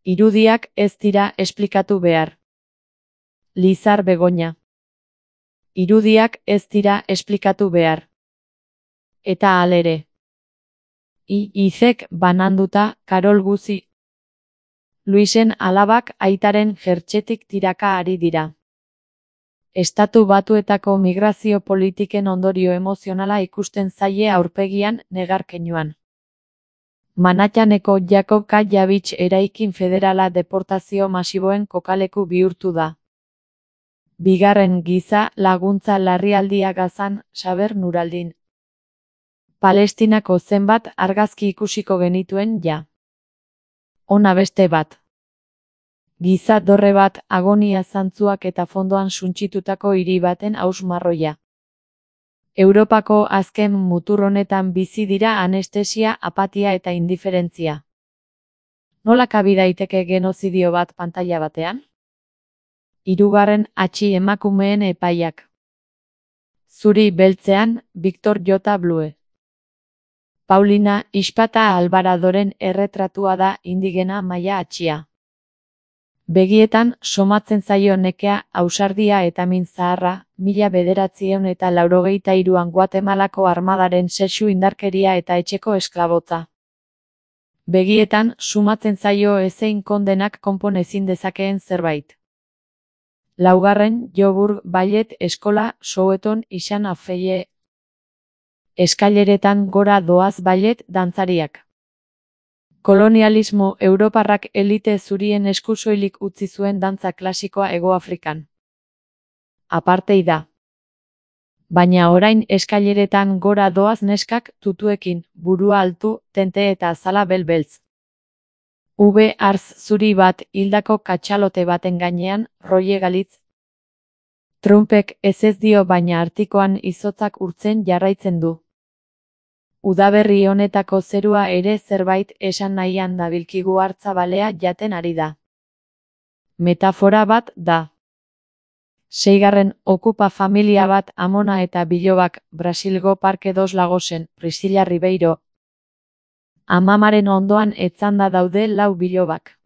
Irudiak ez dira esplikatu behar. Lizar Begoña. Irudiak ez dira esplikatu behar. Eta halere. Izek bananduta, Karol Guzi. Luisen alabak aitaren jertxetik tiraka ari dira. Estatu Batuetako migrazio politiken ondorio emozionala ikusten zaie aurpegian negarkeinoan. Manhattaneko Jakob K. Javits eraikin federala deportazio masiboen kokaleku bihurtu da. Bigarren giza laguntza larrialdia Gazan, Saber Nuraldin. Palestinako zenbat argazki ikusiko genituen ja. Ona beste bat. Giza dorre bat, agonia zantzuak eta fondoan suntsitutako hiri baten hausmarroia. Europako azken mutur honetan bizi dira anestesia, apatia eta indiferentzia. Nola kabi daiteke genozidio bat pantaila batean? Hirugarren atxi emakumeen epaiak. Zuri beltzean, Victor J. Blue. Paulina Ispata Alvaradoren erretratua da indigena maila atxia. Begietan somatzen zaio nekea, ausardia eta min zaharra, 1983an Guatemalako armadaren sexu indarkeria eta etxeko esklabotza. Begietan sumatzen zaio ezein kondenak konpon ezin dezakeen zerbait. Laugarren Joburg Ballet Eskola, Soweton, Isan Afeie. Eskaileretan gora doaz ballet dantzariak. Kolonialismo europarrak elite zurien esku soilik utzi zuen dantza klasikoa Hegoafrikan. Apartheida. Baina orain eskaileretan gora doaz neskak tutuekin, burua altu, tente eta azala belbeltz. Arz zuri bat hildako katxalote baten gainean, Roye Galitz. Trumpek ez dio baina artikoan izotzak urtzen jarraitzen du. Udaberri honetako zerua ere zerbait esan nahian dabilkigu hartzabalea jaten ari da. Metafora bat da. Seigarren okupa familia bat Amona eta Bilobak, Brasilgo Parke dos Lagosen, Priscilla Ribeiro. Amamaren ondoan etzanda daude 4 bilobak.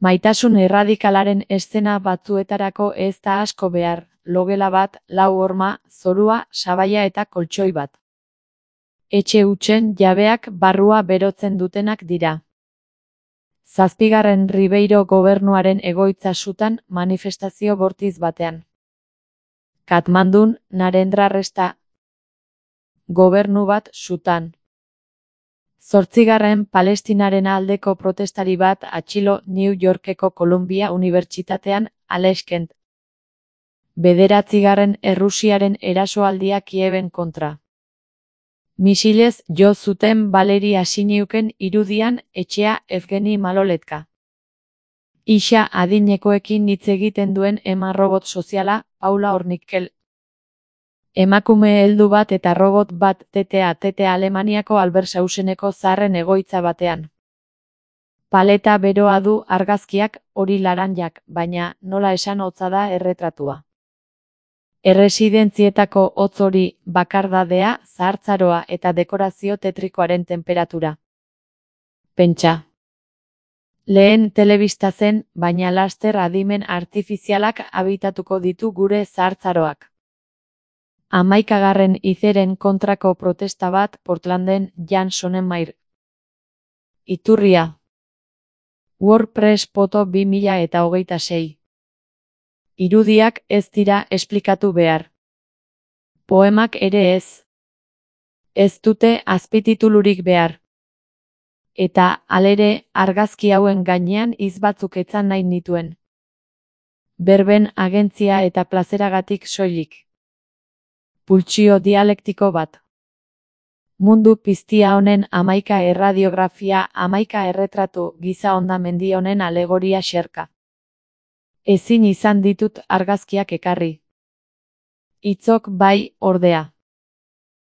Maitasun erradikalaren eszena batzuetarako ez da asko behar, logela bat, 4 horma, zorua, sabaia eta koltxoi bat. Etxe hutsen jabeak barrua berotzen dutenak dira. 7. Ribeiro gobernuaren egoitza sutan manifestazio bortiz batean. Katmandun, Narendra Resta. Gobernu bat sutan. 8. Palestinaren aldeko protestari bat atxilo New Yorkeko Columbia Unibertsitatean, Aleskent. 9. Errusiaren erasoaldia Kieben kontra. Misilez jo zuten Valeri Asiniuken irudian etxea Evgeni Maloletka. Isa adinekoekin hitz egiten duen ema-robot soziala, Paula Ornikel. Emakume heldu bat eta robot bat TTA Alemaniako Albershauseneko zaharren egoitza batean. Paleta beroa du argazkiak, hori laranjak, baina nola esan hotza da erretratua. Erresidentzietako hotz hori, bakardadea, zahartzaroa eta dekorazio tetrikoaren temperatura. Pentsa. Lehen telebista zen, baina laster adimen artifizialak habitatuko ditu gure zahartzaroak. 11. izeren kontrako protesta bat Portlanden, Jan Sonnenmayr. Iturria. WordPress Poto 2026. Irudiak ez dira esplikatu behar. Poemak ere ez. Ez dute azpititulurik behar. Eta, halere, argazki hauen gainean hitz batzuk etzan nahi nituen. Berben agentzia eta plazeragatik soilik. Pultsio dialektiko bat. Mundu piztia honen 11 erradiografia, 11 erretratu, giza hondamendi honen alegoria xerka. Ezin izan ditut argazkiak ekarri. Hitzok bai, ordea.